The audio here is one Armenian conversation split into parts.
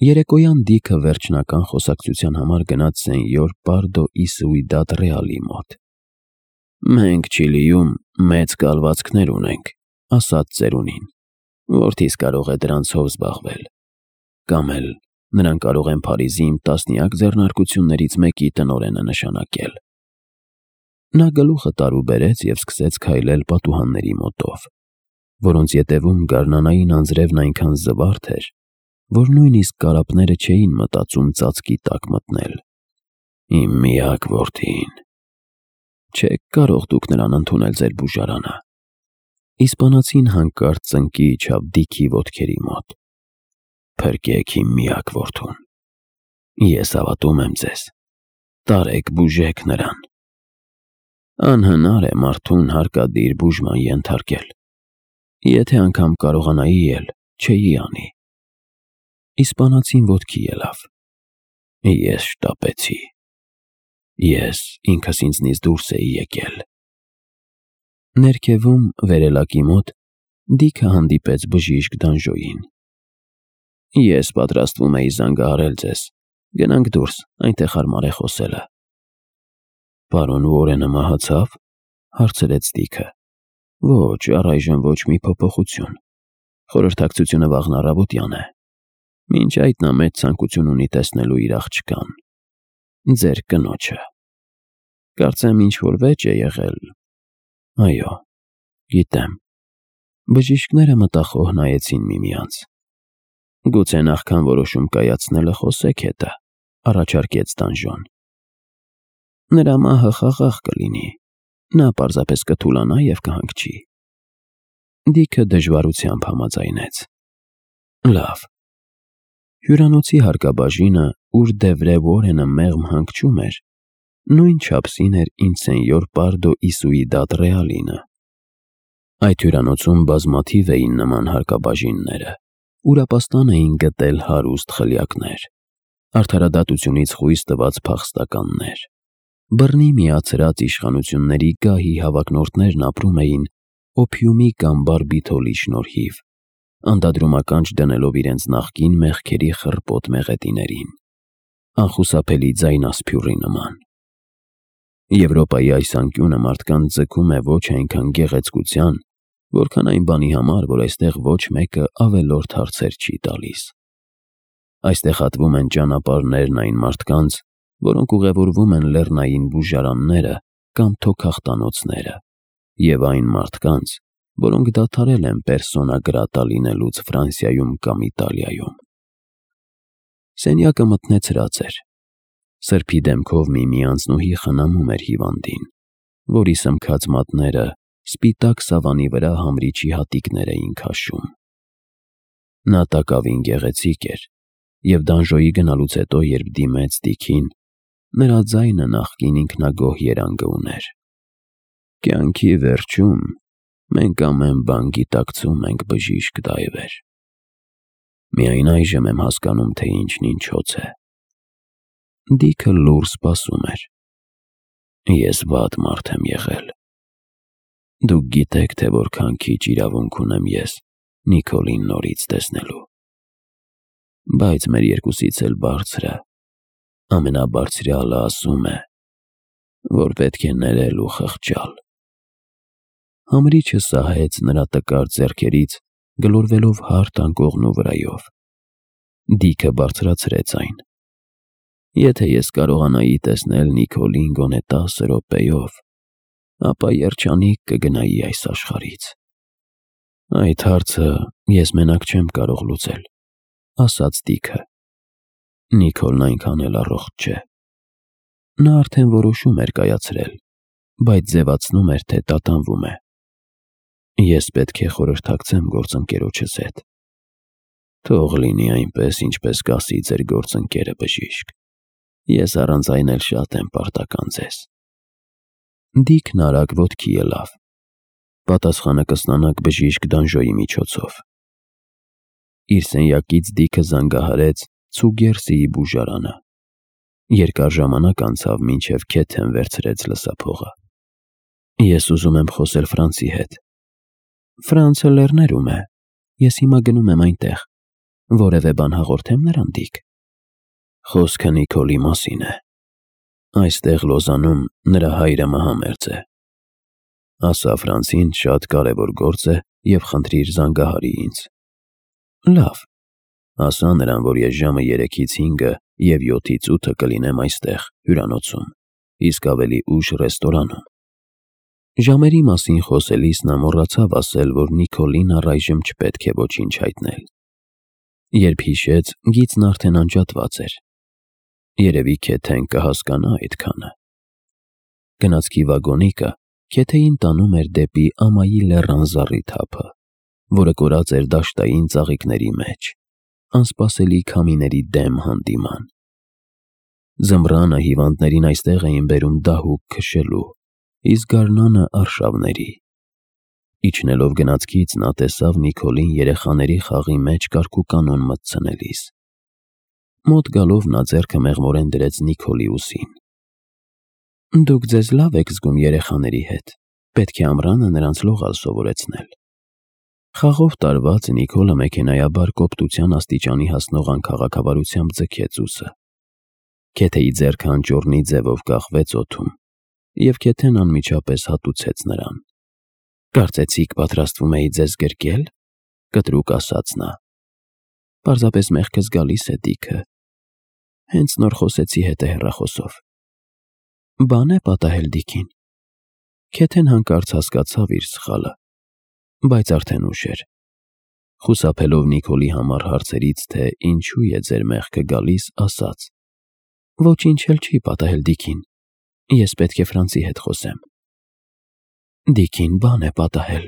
Երեկոյան Դիքը վերջնական խոսակցության համար գնաց սենյոր Պարդո ի Սուիդադ Ռեալի մոտ։ «Մենք Չիլիում մեծ կալվածքներ ունենք», ասաց ծերունին, «որդիս կարող է դրանցով զբաղվել, կամ էլ նրան կարող են Փարիզի իմ տասնյակ ձեռնարկություններից մեկի տնօրենը նշանակել»։ Նա գլուխը տարուբերեց և սկսեց քայլել պատուհանների մոտով, որոնց ետևում գարնանային անձրևն այնքան զվարթ էր, որ նույնիսկ կարապները չէին մտածում ծածկի տակ մտնել։ «Իմ միակ որդին, չեք կարող դուք նրան ընդունել ձեր բուժարանը»։ Իսպանացին հանկարծ ծնկի իջավ Դիքի ոտքերի մոտ։ «Փրկեք իմ միակ որդուն, ես հավատում եմ ձեզ, տարեք բուժեք նրան»։ Անհնար է մարդուն հարկադիր բուժման ենթարկել, եթե անգամ կարողանայի էլ չէի անի։ Իսպանացին ոտքի ելավ։ Ես շտապեցի։ Ես ինքս ինձնից դուրս էի եկել։ Ներքևում վերելակի մոտ Դիքը հանդիպեց բժիշկ Դանժոյին։ Ես պատրաստվում էի զանգահարել ձեզ, գնանք դուրս, այնտեղ հարմար է խոսելը։ Պարոն Ուորենը մահացավ, հարցրեց Դիքը։ Ոչ, առայժմ ոչ մի փոփոխություն։ Խորհրդակցությունը վաղն առավոտյան է։ Մինչ այդ նա մեծ ցանկություն ունի տեսնելու իր աղջկան, ձեր կնոջը։ Կարծեմ ինչ-որ վեճ է եղել։ Այո, գիտեմ։ Բժիշկները մտախոհ նայեցին միմյանց։ Գուցե նախքան որոշում կայացնելը խոսեք հետը, առաջարկեց Դանժոն։ Նրա մահը խաղաղ կլինի, նա պարզապես կթուլանա և կհանգչի։ Դիքը դժվարությամբ համաձայնեց։ Լավ։ Հյուրանոցի հարկաբաժինը, ուր Դևրե Ուորենը մեղմ հանգչում էր, նույն չափսին էր ինչ սենյոր Պարդո ի Սուիդադ Ռեալինը։ Այդ հյուրանոցում բազմաթիվ էին նման հարկաբաժինները, ուրապաստան էին գտել հարուստ խլյակներ, արդարադատությունից խույս տված փախստականներ։ Բռնի միացրած իշխանությունների գահի հավակնորդներն ապրում էին օփիումի կամ բարբիթոլի շնորհիվ, անդադրումականջ դնելով իրենց նախկին մեղքերի խռպոտ մեղեդիներին, անխուսափելի ձայնասփյուռի նման։ Եվրոպայի այս անկյունը մարդկանց ձգում է ոչ այնքան գեղեցկության, որքան այն բանի համար, որ այստեղ ոչ մեկը ավելորդ հարցեր չի տալիս։ Այստեղ հատվում են ճանապարհներն այն մարդկանց, որոնք ուղևորվում են լեռնային բուժարանները կամ թոքախտանոցները, և այն մարդկանց, որոնք դադարել են պերսոնա գրատա լինելուց Ֆրանսիայում կամ Իտալիայում։ Սենյակը մթնեցրած էր։ Սրբի դեմքով մի անձնուհի խնամում էր հիվանդին, որի սմքած մատները սպիտակ սավանի վրա համրիչի հատիկներ էին քաշում։ Նա տակավին գեղեցիկ էր, և Դանժոյի գնալուց հետո, երբ դիմեց Դիքին, նրա ձայնը նախկին ինքնագոհ երանգը ուներ։ Կյանքի վերջում մենք ամեն բան գիտակցում ենք, բժիշկ Դայվեր։ Միայն այժմ եմ հասկանում, թե ինչն ինչոց է։ Դիքը լուռ սպասում էր։ Ես վատ մարդ եմ եղել։ Դուք գիտեք, թե որքան քիչ իրավունք ունեմ ես Նիկոլին նորից տեսնելու։ Բայց մեր երկուսից էլ բարձրը, ամենաբարձրյալը ասում է, որ պետք է ներել ու խղճալ։ Համրիչը սահեց նրա տկար ձեռքերից, գլորվելով հարթ անկողնու վրայով։ Դիքը բարձրացրեց այն։ Եթե ես կարողանայի տեսնել Նիկոլին գոնե 10 րոպեով, ապա երջանիկ կգնայի այս աշխարհից։ Այդ հարցը ես մենակ չեմ կարող լուծել, ասաց Դիքը։ Նիկոլն այնքան էլ առողջ չէ։ Նա արդեն որոշում էր կայացրել, բայց ձևացնում էր, թե տատանվում է։ Ես պետք է խորհրդակցեմ գործընկերոջս հետ։ Թող լինի այնպես, ինչպես կասի ձեր գործընկերը, բժիշկ։ Ես առանց այն էլ շատ եմ պարտական ձեզ։ Դիքն արագ ոտքի ելավ։ Պատասխանը կստանաք բժիշկ Դանժոյի միջոցով։ Իր սենյակից Դիքը զանգահարեց Ցուգերսիի բուժարանը։ Երկար ժամանակ անցավ, մինչև Քեթեն վերցրեց լսափողը։ Ես ուզում եմ խոսել Ֆրանցի հետ։ Ֆրանցը լեռներում է։ Ես հիմա գնում եմ այնտեղ։ Որևէ բան հաղորդեմ նրան, Դիք։ Խոսքը Նիկոլի մասին է։ Այստեղ Լոզանում նրա հայրը մահամերձ է։ Ասա Ֆրանսին շատ կարևոր գործ է և խնդրիր զանգահարի ինձ։ Լավ, ասա նրան, որ ես ժամը 3-ից 5-ը և 7-ից 8-ը կլինեմ այստեղ, հյուրանոցում, իսկ ավելի ուշ ռեստորանում։ Ժամերի մասին խոսելիս նա մոռացավ ասել, որ Նիկոլին առայժմ չպետք է ոչինչ հայտնել։ Երբ հիշեց, գիծն արդեն անջատված էր։ Երևի Քեթեն կհասկանա այդքանը։ Գնացքի վագոնիկը Քեթեին տանում էր դեպի ամայի լեռան զառիթափը, որը կորած էր դաշտային ծաղիկների մեջ, անսպասելի քամիների դեմ հանդիման։ Ձմռանը հիվանդներին այստեղ էին բերում դահուկ քշելու, իսկ գարնանը արշավների։ Իջնելով գնացքից նա տեսավ Նիկոլին երեխաների խաղի մեջ կարգուկանոն մտցնելիս։ Մոտ գալով նա ձեռքը մեղմորեն դրեց Նիկոլի ուսին։ Դուք ձեզ լավ եք զգում երեխաների հետ, պետք է ամռանը նրանց լողալ սովորեցնել։ Խաղով տարված Նիկոլը մեքենայաբար կոպտության աստիճանի հասնող անքաղաքավարությամբ ձգեց ուսը։ Քեթեի ձեռքը անճոռնի ձևով կախվեց օդում, և Քեթեն անմիջապես հատուցեց նրան։ Կարծեցիք պատրաստվում էի ձեզ գրկել, կտրուկ ասաց նա։ Պարզապես մեղքս գալիս է, Դիքը։ Հենց նոր խոսեցի հետ հեռախոսով։ Բան է պատահել Դիքին։ Քեթեն հանկարծ հասկացավ իր սխալը, բայց արդեն ուշ էր։ Խուսափելով Նիկոլի համար հարցերից, թե ինչու է ձեր մեղքը գալիս, ասաց. Ոչինչ էլ չի պատահել Դիքին։ Ես պետք է Ֆրանսի հետ խոսեմ։ Դիքին բան է պատահել։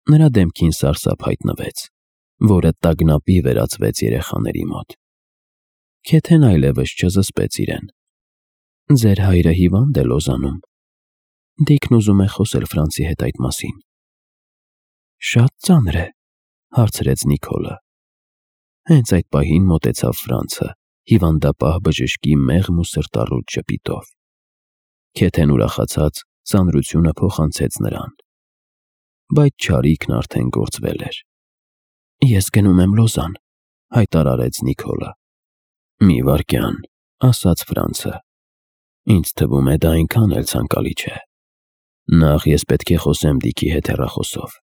Նրա դեմքին սարսափ հայտնվեց, որը տագնապի վերածվեց երեխաների մոտ։ Քեթեն այլևս չզսպեց իրեն։ Ձեր հայրը հիվանդ է Լոզանում։ Դիքն ուզում է խոսել Ֆրանսի հետ այդ մասին։ Շատ ծանր է, հարցրեց Նիկոլը։ Հենց այդ պահին մոտեցավ Ֆրանսը, հիվանդապահ բժշկի մեղմ ու սրտառուտ ժպիտով։ Քեթեն ուրախացած ծանրությունը փոխանցեց նրան։ Բայց չարիքն արդեն գործվել էր։ Ես գնում եմ Լոզան, հայտարարեց Նիկոլը։ Մի վայրկյան, ասաց Ֆրանսը։ Ինձ թվում է դա այնքան էլ ցանկալի չէ։ Նախ ես պետք է խոսեմ Դիքի հետ հեռախոսով։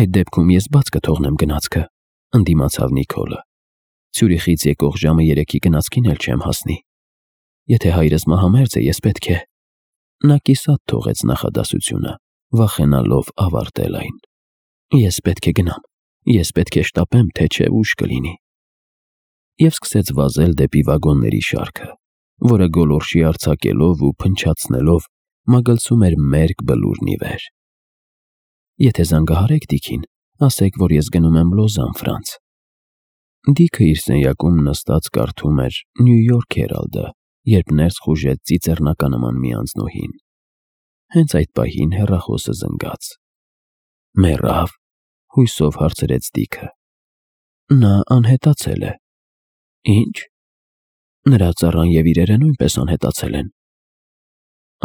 Այդ դեպքում ես բաց կթողնեմ գնացքը, ընդդիմացավ Նիկոլը։ Ցյուրիխից եկող ժամը 3-ի գնացքին էլ չեմ հասնի։ Եթե հայրս մահամերձ է, ես պետք է… Նա կիսատ թողեց նախադասությունը, վախենալով ավարտել այն։ Ես պետք է գնամ, ես պետք է շտապեմ, թե չէ ուշ կլինի։ Եվ սկսեց վազել դեպի վագոնների շարքը, որը գոլորշի արձակելով ու փնչացնելով մագլցում էր մերկ բլուրն ի վեր։ Եթե զանգահարեք Դիքին, ասեք, որ ես գնում եմ Լոզան, Ֆրանս։ Դիքը իր սենյակում նստած կարդում էր Նյու Յորք Հերալդը, երբ ներս խուժեց ծիծեռնականման մի անձնուհին։ Հենց այդ պահին հեռախոսը զնգաց։ Մեռավ, հույսով հարցրեց Դիքը։ Նա անհետացել է։ Ինչ։ Նրա ծառան և իրերը նույնպես անհետացել են։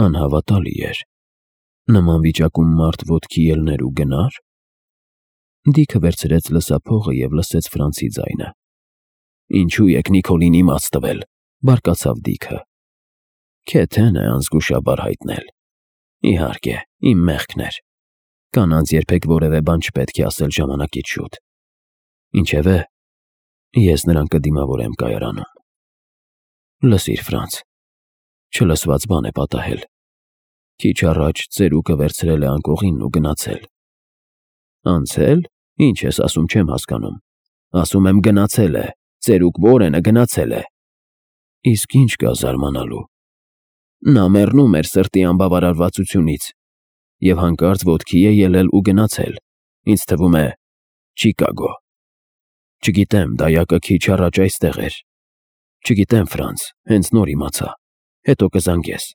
Անհավատալի էր։ Նման վիճակում մարդ ոտքի ելներ ու գնար։ Դիքը վերցրեց լսափողը և լսեց Ֆրանսի ձայնը։ Ինչու եք Նիկոլին իմաց տվել, բարկացավ Դիքը։ Քեթեն է անզգուշաբար հայտնել։ Իհարկե, իմ մեղքն էր։ Կանանց երբեք որևէ բան չպետք է ասել ժամանակից շուտ։ Ինչևէ, ես նրան կդիմավորեմ կայարանում։ Լսիր, Ֆրանս, չլսված բան է պատահել։ Քիչ առաջ ծերուկը վերցրել է անկողինն ու գնացել։ Անցել։ Ինչ ես ասում, չեմ հասկանում։ Ասում եմ գնացել է, ծերուկ Վորենը գնացել է։ Իսկ ինչ կա զարմանալու։ Նա մեռնում էր սրտի անբավարարվածությունից և հանկարծ ոտքի է ելել ու գնացել, ինձ թվում է, Չիկագո։ Չգիտեմ, դայակը քիչ առաջ այստեղ էր։ Չգիտեմ, Ֆրանս, հենց նոր իմացա, հետո կզանգես։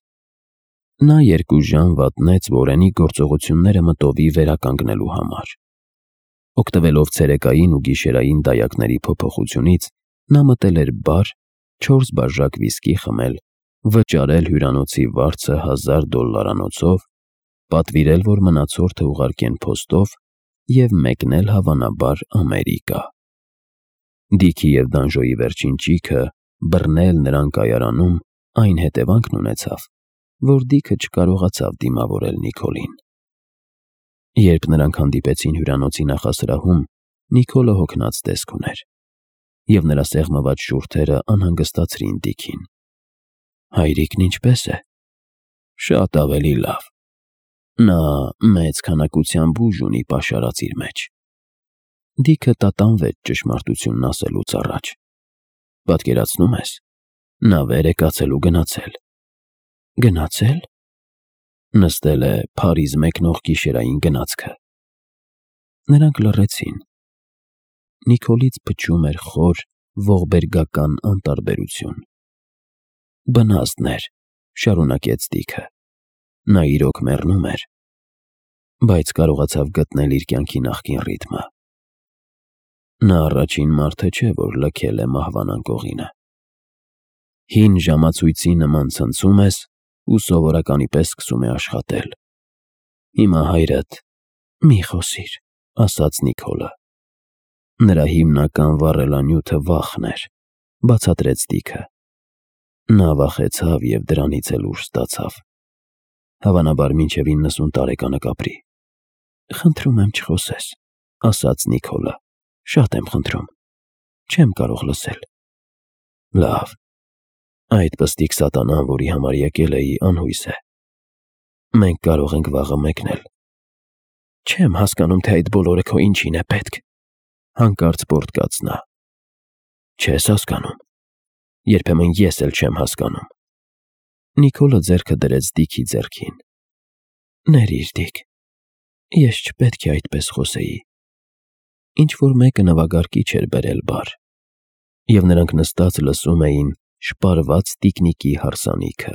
Նա 2 ժամ վատնեց Վորենի գործողությունները մտովի վերականգնելու համար։ Օգտվելով ցերեկային ու գիշերային դայակների փոփոխությունից, նա մտել էր բար, 4 բաժակ վիսկի խմել, վճարել հյուրանոցի վարձը $1000 պատվիրել, որ մնացորդը ուղարկեն փոստով և մեկնել հավանաբար Ամերիկա։ Դիքի և Դանժոյի վերջին ճիգը բռնել նրան կայարանում այն հետևանքն ունեցավ, որ Դիքը չկարողացավ դիմավորել Նիկոլին։ Երբ նրանք հանդիպեցին հյուրանոցի նախասրահում, Նիկոլը հոգնած տեսք ուներ, և նրա սեղմված շուրթերը անհանգստացրին Դիքին։ Հայրիկն ինչպե՞ս է։ Շատ ավելի լավ։ Նա մեծ քանակությամբ ուժ ունի պաշարած իր մեջ։ Դիքը տատանվեց ճշմարտությունն ասելուց առաջ։ Պատկերացնում ես, նա վեր է կացել ու գնացել։ Գնացել։ Նստել է Փարիզ մեկնող գիշերային գնացքը։ Նրանք լռեցին։ Նիկոլից փչում էր խոր ողբերգական անտարբերություն։ Բնազդներ, շարունակեց Դիքը։ Նա իրոք մեռնում էր, բայց կարողացավ գտնել իր կյանքի նախկին ռիթմը։ Նա առաջին մարդը չէ, որ լքել է մահվան անկողինը։ Հին ժամացույցի նման ցնցում ես ու սովորականի պես սկսում է աշխատել։ Հիմա հայրդ… Մի խոսիր, ասաց Նիկոլը։ Նրա հիմնական վառելանյութը վախն էր, բացատրեց Դիքը։ Նա վախեցավ և դրանից էլ ուժ ստացավ։ Հավանաբար մինչև 90 տարեկանը կապրի։ Խնդրում եմ չխոսես, ասաց Նիկոլը։ Շատ եմ խնդրում։ Չեմ կարող լսել։ Լավ։ Այդ պստիկ սատանան, որի համար եկել էի, անհույս է։ Մենք կարող ենք վաղը մեկնել։ Չեմ հասկանում, թե այդ բոլորը քո ինչին է պետք։ Հանկարծ պոռթկաց նա։ Չես հասկանում։ Երբեմն ես էլ չեմ հասկանում։ Նիկոլը ձեռքը դրեց Դիքի ձեռքին։ Ներիր, Դիք, ես չպետք է այդպես խոսեի։ Ինչ-որ մեկը նվագարկիչ էր բերել բար, և նրանք նստած լսում էին շպարված տիկնիկի հարսանիքը։